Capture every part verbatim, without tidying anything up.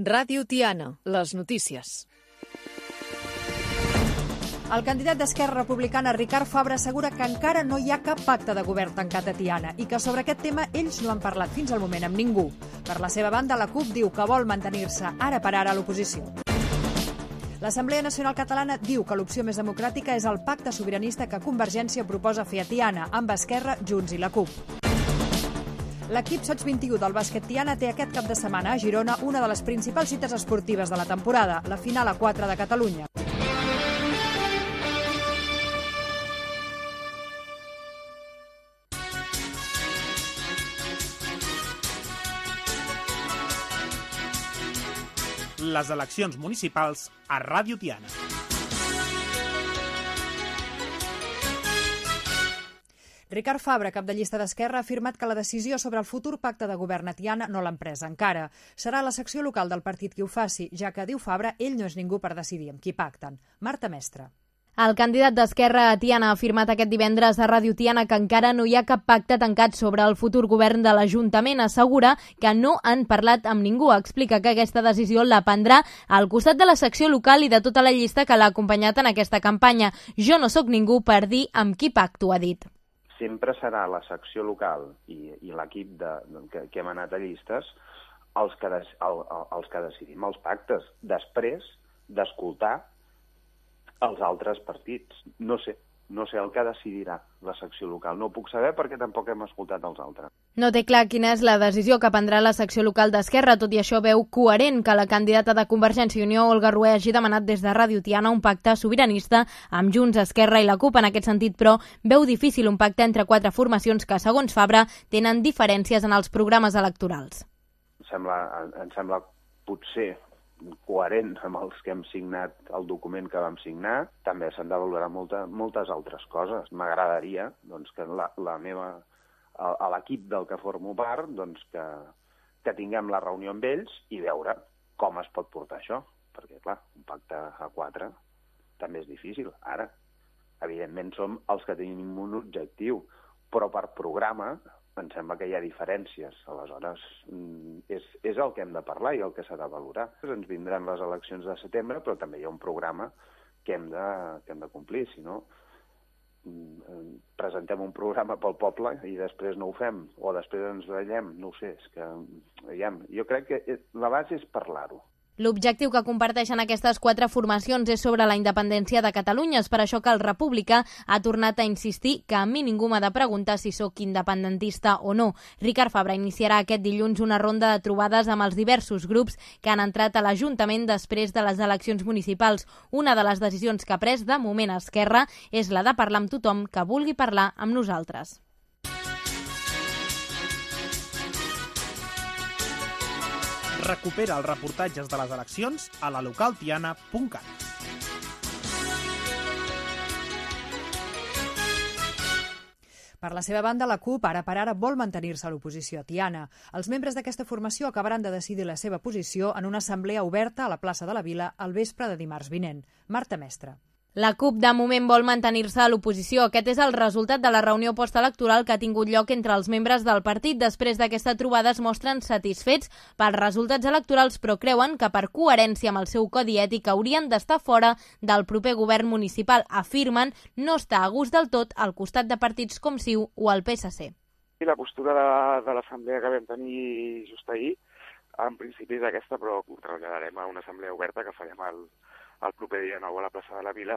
Ràdio Tiana, les notícies. El candidat d'Esquerra Republicana, Ricard Fabra, assegura que encara no hi ha cap pacte de govern tancat a Tiana i que sobre aquest tema ells no han parlat fins al moment amb ningú. Per la seva banda, la CUP diu que vol mantenir-se ara per ara a l'oposició. L'Assemblea Nacional Catalana diu que l'opció més democràtica és el pacte sobiranista que Convergència proposa fer a Tiana, amb Esquerra, Junts i la CUP. L'equip Sots vint-i-u del bàsquet Tiana té aquest cap de setmana a Girona una de les principals cites esportives de la temporada, la final a quatre de Catalunya. Les eleccions municipals a Ràdio Tiana. Ricard Fabra, cap de llista d'Esquerra, ha afirmat que la decisió sobre el futur pacte de govern a Tiana no l'han presa encara. Serà la secció local del partit qui ho faci, ja que, diu Fabra, ell no és ningú per decidir amb qui pacten. Marta Mestre. El candidat d'Esquerra a Tiana ha afirmat aquest divendres a Ràdio Tiana que encara no hi ha cap pacte tancat sobre el futur govern de l'Ajuntament. Assegura que no han parlat amb ningú. Explica que aquesta decisió la prendrà al costat de la secció local i de tota la llista que l'ha acompanyat en aquesta campanya. Jo no sóc ningú per dir amb qui pacto, ha dit. Sempre serà la secció local i, i l'equip de, que, que hem anat a llistes els que, des, el, els que decidim els pactes, després d'escoltar els altres partits. No sé, no sé el que decidirà la secció local. No ho puc saber perquè tampoc hem escoltat els altres. No té clar quina és la decisió que prendrà la secció local d'Esquerra, tot i això veu coherent que la candidata de Convergència i Unió, Olga Rué, hagi demanat des de Ràdio Tiana un pacte sobiranista amb Junts, Esquerra i la CUP. En aquest sentit, però, veu difícil un pacte entre quatre formacions que, segons Fabra, tenen diferències en els programes electorals. Em sembla, em sembla potser coherent amb els que hem signat el document que vam signar. També s'han de valorar molta, moltes altres coses. M'agradaria doncs, que la, la meva, a, a l'equip del que formo part doncs, que, que tinguem la reunió amb ells i veure com es pot portar això. Perquè, clar, un pacte a quatre també és difícil. Ara, evidentment, som els que tenim un objectiu, però per programa em sembla que hi ha diferències. Aleshores, és, és el que hem de parlar i el que s'ha de valorar. Ens vindran les eleccions de setembre, però també hi ha un programa que hem de, que hem de complir. Si no, presentem un programa pel poble i després no ho fem, o després ens veiem, no ho sé. És que, veiem, jo crec que la base és parlar-ho. L'objectiu que comparteixen aquestes quatre formacions és sobre la independència de Catalunya. És per això que el republicà ha tornat a insistir que a mi ningú m'ha de preguntar si sóc independentista o no. Ricard Fabra iniciarà aquest dilluns una ronda de trobades amb els diversos grups que han entrat a l'Ajuntament després de les eleccions municipals. Una de les decisions que ha pres de moment a Esquerra és la de parlar amb tothom que vulgui parlar amb nosaltres. Recupera els reportatges de les eleccions a la localtiana punt cat. Per la seva banda, la CUP ara per ara vol mantenir-se a l'oposició a Tiana. Els membres d'aquesta formació acabaran de decidir la seva posició en una assemblea oberta a la plaça de la Vila al vespre de dimarts vinent. Marta Mestre. La CUP de moment vol mantenir-se a l'oposició. Aquest és el resultat de la reunió postelectoral que ha tingut lloc entre els membres del partit. Després d'aquesta trobada es mostren satisfets pels resultats electorals, però creuen que per coherència amb el seu codi ètic haurien d'estar fora del proper govern municipal. Afirmen no estar a gust del tot al costat de partits com CiU o el P S C. La postura de, de l'assemblea que vam tenir just ahir, en principi és aquesta, però ho traslladarem a una assemblea oberta que farem al el proper dia nou a la plaça de la Vila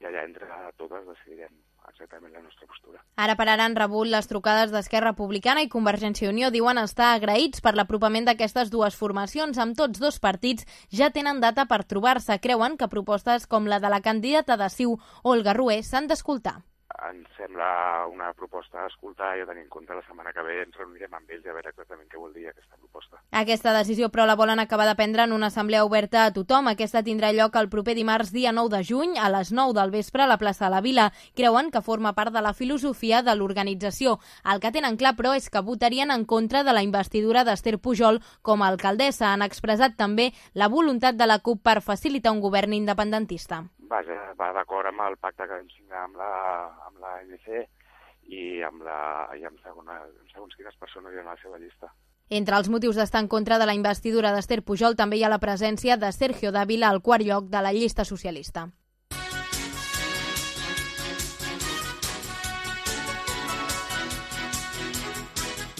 i allà entre totes decidirem exactament la nostra postura. Ara per ara han rebut les trucades d'Esquerra Republicana i Convergència i Unió. Diuen estar agraïts per l'apropament d'aquestes dues formacions. Amb tots dos partits ja tenen data per trobar-se. Creuen que propostes com la de la candidata de CiU, Olga Rué, s'han d'escoltar. Ens sembla una proposta a escoltar i a tenir en compte la setmana que ve ens reunirem amb ells i a veure exactament què vol dir aquesta proposta. Aquesta decisió, però, la volen acabar de prendre en una assemblea oberta a tothom. Aquesta tindrà lloc el proper dimarts, dia nou de juny, a les nou del vespre a la plaça de la Vila. Creuen que forma part de la filosofia de l'organització. El que tenen clar, però, és que votarien en contra de la investidura d'Esther Pujol com a alcaldessa. Han expressat també la voluntat de la CUP per facilitar un govern independentista. Vaja, va d'acord amb el pacte que vam signar amb la, amb la A N C i amb, la, i amb, segona, amb segons quines persones hi ha a la seva llista. Entre els motius d'estar en contra de la investidura d'Esther Pujol també hi ha la presència de Sergio Dávila al quart lloc de la llista socialista.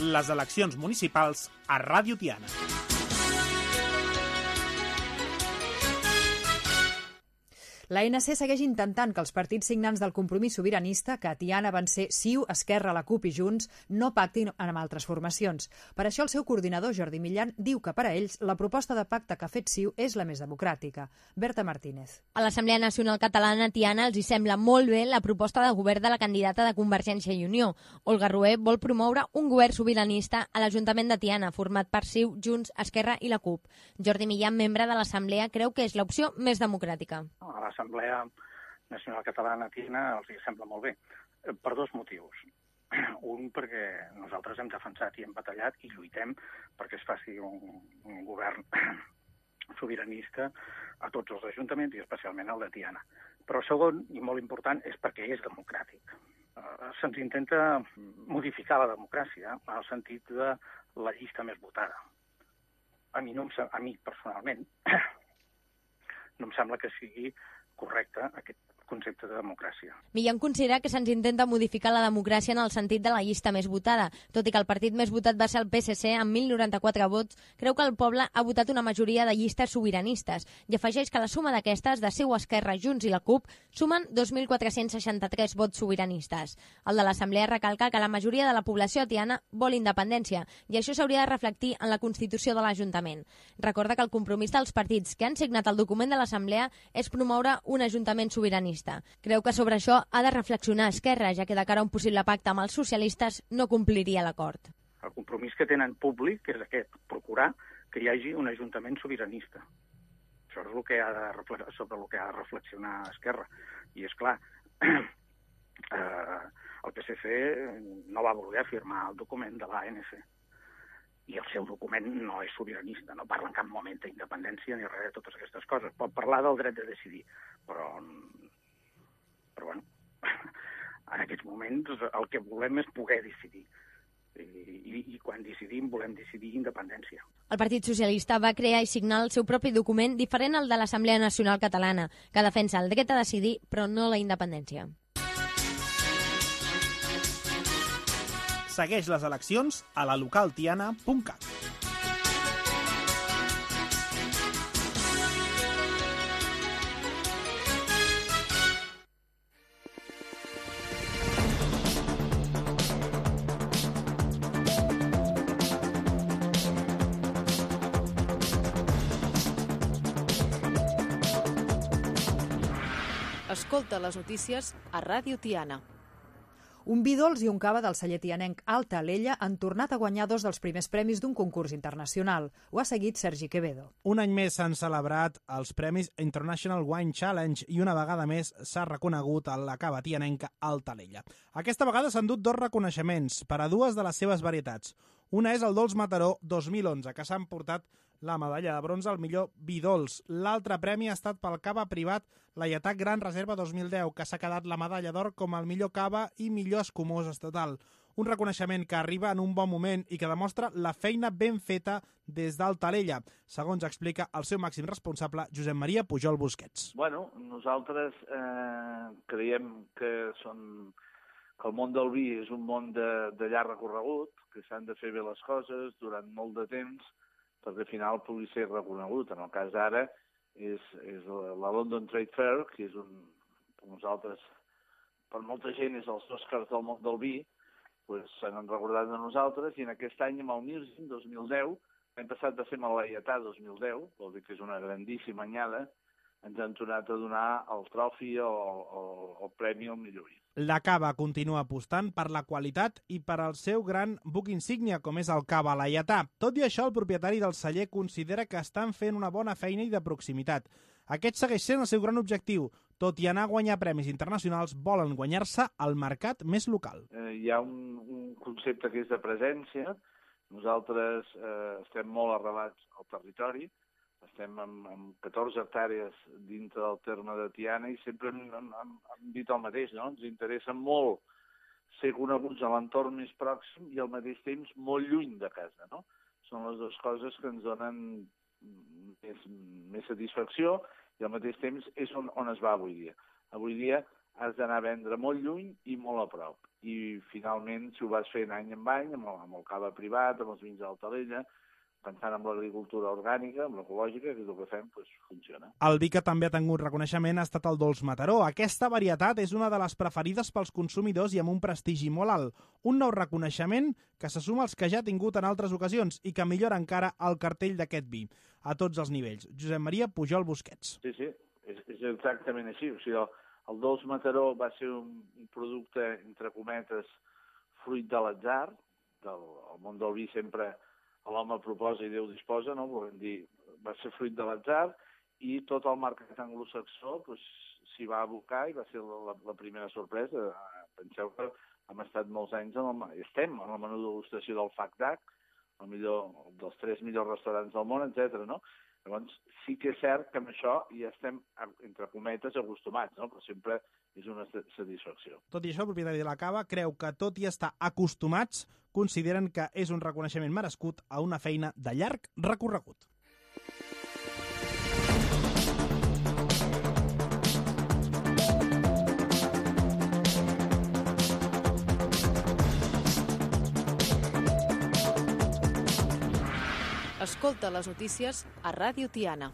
Les eleccions municipals a Ràdio Tiana. L'A N C segueix intentant que els partits signants del Compromís Sobiranista, que a Tiana van ser C I U, Esquerra, la CUP i Junts, no pactin amb altres formacions. Per això el seu coordinador, Jordi Millan, diu que per a ells la proposta de pacte que ha fet C I U és la més democràtica. Berta Martínez. A l'Assemblea Nacional Catalana, Tiana, els hi sembla molt bé la proposta de govern de la candidata de Convergència i Unió. Olga Rué vol promoure un govern sobiranista a l'Ajuntament de Tiana, format per C I U, Junts, Esquerra i la CUP. Jordi Millan, membre de l'Assemblea, creu que és l'opció més democràtica. A l'Assemblea Nacional Catalana Tiana els hi sembla molt bé, per dos motius. Un, perquè nosaltres hem defensat i hem batallat i lluitem perquè es faci un, un govern sobiranista a tots els ajuntaments i especialment al de Tiana. Però segon, i molt important, és perquè és democràtic. Se'ns intenta modificar la democràcia en el sentit de la llista més votada. A mi, no em, a mi personalment, no em sembla que sigui correcte aquest concepte de democràcia. Millan considera que se'ns intenta modificar la democràcia en el sentit de la llista més votada. Tot i que el partit més votat va ser el P S C amb mil noranta-quatre vots, creu que el poble ha votat una majoria de llistes sobiranistes i afegeix que la suma d'aquestes, de C I U, Esquerra, Junts i la CUP, sumen dos mil quatre-cents seixanta-tres vots sobiranistes. El de l'Assemblea recalca que la majoria de la població tiana vol independència i això s'hauria de reflectir en la Constitució de l'Ajuntament. Recorda que el compromís dels partits que han signat el document de l'Assemblea és promoure un ajuntament sobiranista. Creu que sobre això ha de reflexionar Esquerra, ja que de cara a un possible pacte amb els socialistes no compliria l'acord. El compromís que tenen públic és aquest, procurar que hi hagi un ajuntament sobiranista. Això és el que ha de, sobre el que ha de reflexionar Esquerra. I és clar, eh, el P S C no va voler firmar el document de l'A N C. I el seu document no és sobiranista, no parla en cap moment d'independència ni res de totes aquestes coses. Pot parlar del dret de decidir, però, però bueno, en aquests moments el que volem és poder decidir. I, i, i quan decidim volem decidir independència. El Partit Socialista va crear i signar el seu propi document diferent al de l'Assemblea Nacional Catalana, que defensa el dret a decidir però no la independència. Segueix les eleccions a la local tiana punt cat. Escolta les notícies a Ràdio Tiana. Un vi dolç i un cava del celler tianenc Alta Alella han tornat a guanyar dos dels primers premis d'un concurs internacional. Ho ha seguit Sergi Quevedo. Un any més s'han celebrat els Premis International Wine Challenge i una vegada més s'ha reconegut a la cava tianenca Alta Alella. Aquesta vegada s'han dut dos reconeixements per a dues de les seves varietats. Una és el Dolç Mataró dos mil onze, que s'han portat la medalla de bronze al millor vi dolç. L'altre premi ha estat pel cava privat Laietà Gran Reserva dos mil deu, que s'ha quedat la medalla d'or com el millor cava i millor escumós estatal. Un reconeixement que arriba en un bon moment i que demostra la feina ben feta des d'Alta Alella, segons explica el seu màxim responsable, Josep Maria Pujol Busquets. Bueno, nosaltres eh, creiem que, són, que el món del vi és un món de, de llarg recorregut, que s'han de fer bé les coses durant molt de temps, perquè al final pugui ser reconegut. En el cas d'ara és, és la London Trade Fair, que és un, per nosaltres, per molta gent és els Oscars del món del vi, pues, s'han recordat de nosaltres, i en aquest any amb el Mirgin dos mil deu, hem passat de ser amb el Laietà dos mil deu, vol dir que és una grandíssima anyada, ens han tornat a donar el trofi o el, el premi al millor vi. La cava continua apostant per la qualitat i per al seu gran buc insígnia, com és el cava laietà. Tot i això, el propietari del celler considera que estan fent una bona feina i de proximitat. Aquest segueix sent el seu gran objectiu. Tot i anar a guanyar premis internacionals, volen guanyar-se el mercat més local. Eh, hi ha un, un concepte que és de presència. Nosaltres eh, estem molt arrelats al territori. Estem amb, amb catorze hectàrees dintre del terme de Tiana i sempre hem, hem, hem dit el mateix, no? Ens interessa molt ser coneguts a l'entorn més pròxim i al mateix temps molt lluny de casa, no? són les dues coses que ens donen més, més satisfacció i al mateix temps és on, on es va avui dia. Avui dia has d'anar a vendre molt lluny i molt a prop. I finalment, si ho vas fent any en any, amb el, amb el cava privat, amb els vins d'Altalella, pensant en l'agricultura orgànica, amb l'ecològica, que és el que fem, doncs funciona. El vi que també ha tingut reconeixement ha estat el Dolç Mataró. Aquesta varietat és una de les preferides pels consumidors i amb un prestigi molt alt. Un nou reconeixement que se suma als que ja ha tingut en altres ocasions i que millora encara el cartell d'aquest vi, a tots els nivells. Josep Maria Pujol Busquets. Sí, sí, és, és exactament així. O sigui, el, el Dolç Mataró va ser un, un producte, entre cometes, fruit de l'atzar. Del, el món del vi sempre l'home proposa i Déu disposa, no? Volem dir, va ser fruit de l'atzar i tot el mercat anglosaxó pues, s'hi va abocar i va ser la, la primera sorpresa. Penseu que hem estat molts anys, en el, estem en el menú de degustació del F A C D A C, el millor, dels tres millors restaurants del món, etcètera. No? Llavors, sí que és cert que amb això ja estem, entre cometes, acostumats, no? Però sempre és una satisfacció. Tot i això, el propietari de la cava creu que, tot i estar acostumats, consideren que és un reconeixement merescut a una feina de llarg recorregut. Escolta les notícies a Ràdio Tiana.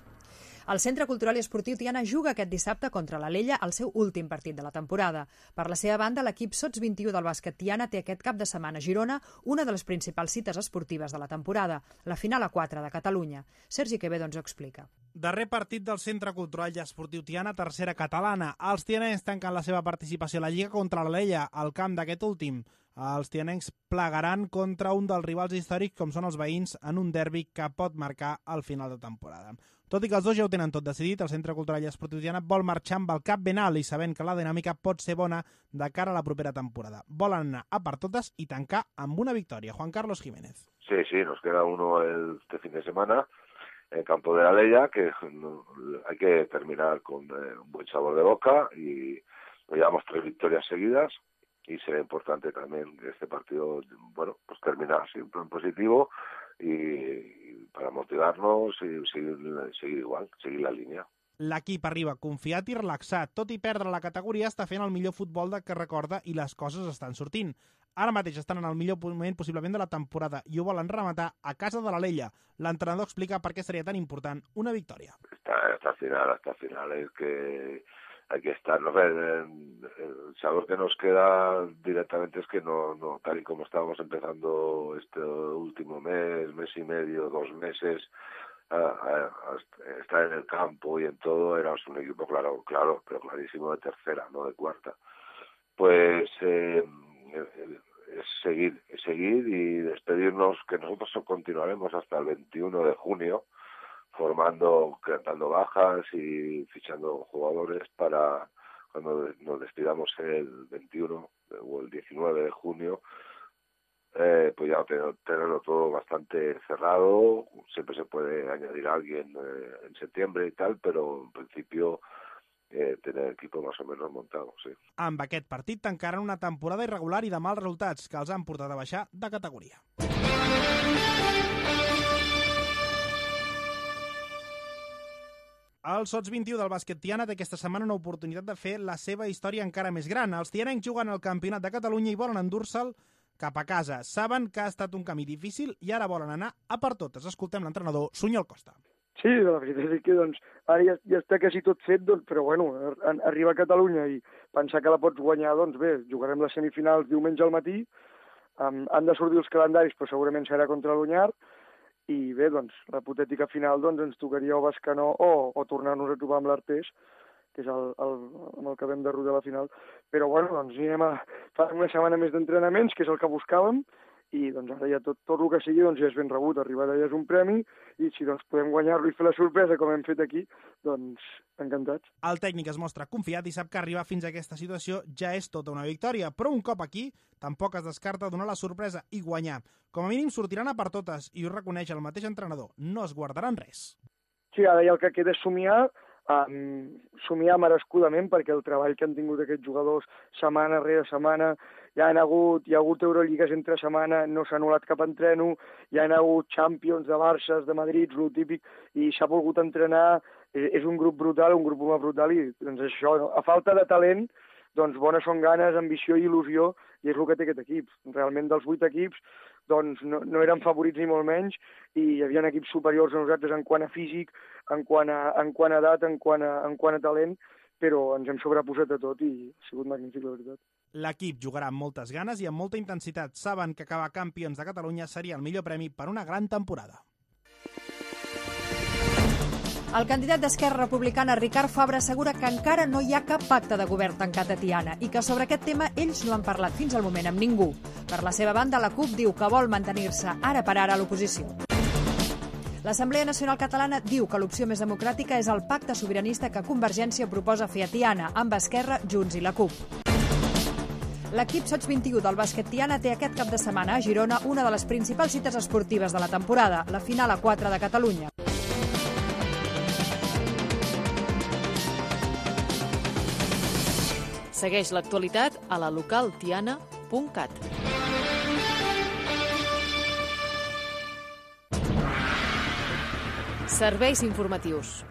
El Centre Cultural i Esportiu Tiana juga aquest dissabte contra l'Alella el seu últim partit de la temporada. Per la seva banda, l'equip Sots vint i u del bàsquet Tiana té aquest cap de setmana a Girona una de les principals cites esportives de la temporada, la final a quatre de Catalunya. Sergi Quevedo ens ho explica. Darrer partit del Centre Cultural i Esportiu Tiana, tercera catalana. Els tianencs tanquen la seva participació a la Lliga contra l'Alella, al camp d'aquest últim. Els tianencs plegaran contra un dels rivals històrics com són els veïns en un derbi que pot marcar el final de temporada. Tot i que els dos ja ho tenen tot decidit, el Centre Cultural i Esportiu Tiana vol marxar amb el cap ben alt i sabent que la dinàmica pot ser bona de cara a la propera temporada. Volen anar a per totes i tancar amb una victòria. Juan Carlos Jiménez. Sí, sí, nos queda uno el, este fin de semana en el campo de la Alella, que no, hay que terminar con eh, un buen sabor de boca y llevamos tres victorias seguidas. Y será importante también que este partido, bueno, pues terminar siempre en positivo y, y para motivarnos y seguir, seguir igual, seguir la línia. L'equip arriba confiat i relaxat. Tot i perdre la categoria, està fent el millor futbol de que recorda i les coses estan sortint. Ara mateix estan en el millor moment possiblement de la temporada i ho volen rematar a casa de l'Alella. L'entrenador explica per què seria tan important una victòria. Hasta, hasta el final, hasta el final, es que hay que estar, no sé, el sabor que nos queda directamente es que no, no, tal y como estábamos empezando este último mes, mes y medio, dos meses, a, a, a estar en el campo y en todo, éramos un equipo claro, claro, pero clarísimo de tercera, no de cuarta. Pues eh, es seguir, seguir y despedirnos, que nosotros continuaremos hasta el veintiuno de junio, formando, dando bajas y fichando jugadores para cuando nos despidamos el veintiuno o el diecinueve de junio, eh, pues ya tener, tenerlo todo bastante cerrado. Siempre se puede añadir a alguien eh, en septiembre y tal, pero en principio eh, tener el equipo más o menos montado, sí. Amb aquest partit tancaran una temporada irregular i de mals resultats que els han portat a baixar de categoria. El Sots vint i u del bàsquet Tiana té aquesta setmana una oportunitat de fer la seva història encara més gran. Els tianencs juguen al Campionat de Catalunya i volen endur-se'l cap a casa. Saben que ha estat un camí difícil i ara volen anar a per totes. Escoltem l'entrenador Sunyol Costa. Sí, la veritat és que doncs, ara ja, ja està quasi tot fet, doncs, però bueno, arribar a Catalunya i pensar que la pots guanyar, doncs bé, jugarem les semifinals diumenge al matí, um, han de sortir els calendaris, però segurament serà contra l'Onyar, i bé, doncs, la hipotètica final doncs, ens tocaria o Bescanó o, o tornar-nos a trobar amb l'Artés, que és el, el, amb el que vam de rodar la final. Però bueno, doncs anirem a fer una setmana més d'entrenaments, que és el que buscàvem, i doncs ara ja tot, tot el que sigui doncs, ja és ben rebut. Arribar allà és un premi, i si doncs, podem guanyar-lo i fer la sorpresa com hem fet aquí, doncs encantats. El tècnic es mostra confiat i sap que arribar fins a aquesta situació ja és tota una victòria, però un cop aquí tampoc es descarta donar la sorpresa i guanyar. Com a mínim sortiran a per totes i ho reconeix el mateix entrenador. No es guardaran res. Sí, ara ja el que queda és somiar um, somiar merescudament, perquè el treball que han tingut aquests jugadors setmana rere setmana, hi ha hagut, hi ha hagut Euroligues entre setmana, no s'ha anul·lat cap entreno, hi ha hagut Champions de Barça, de Madrid, lo típic, i s'ha volgut entrenar, és un grup brutal, un grup humà brutal, i doncs això, no? A falta de talent, doncs bones són ganes, ambició i il·lusió, i és el que té aquest equip. Realment dels vuit equips doncs no, no eren favorits ni molt menys, i hi havia equips superiors a nosaltres en quant a físic, en quant a, en quant a edat, en quant a, en quant a talent, però ens hem sobreposat a tot i ha sigut magnífic, la veritat. L'equip jugarà amb moltes ganes i amb molta intensitat. Saben que acabar campions de Catalunya seria el millor premi per una gran temporada. El candidat d'Esquerra Republicana, Ricard Fabra, assegura que encara no hi ha cap pacte de govern tancat a Tiana i que sobre aquest tema ells no han parlat fins al moment amb ningú. Per la seva banda, la CUP diu que vol mantenir-se ara per ara a l'oposició. L'Assemblea Nacional Catalana diu que l'opció més democràtica és el pacte sobiranista que Convergència proposa fer a Tiana, amb Esquerra, Junts i la CUP. L'equip Sots vint i u del bàsquet Tiana té aquest cap de setmana a Girona una de les principals cites esportives de la temporada, la final a quatre de Catalunya. Segueix l'actualitat a la local tiana punt cat. Serveis informatius.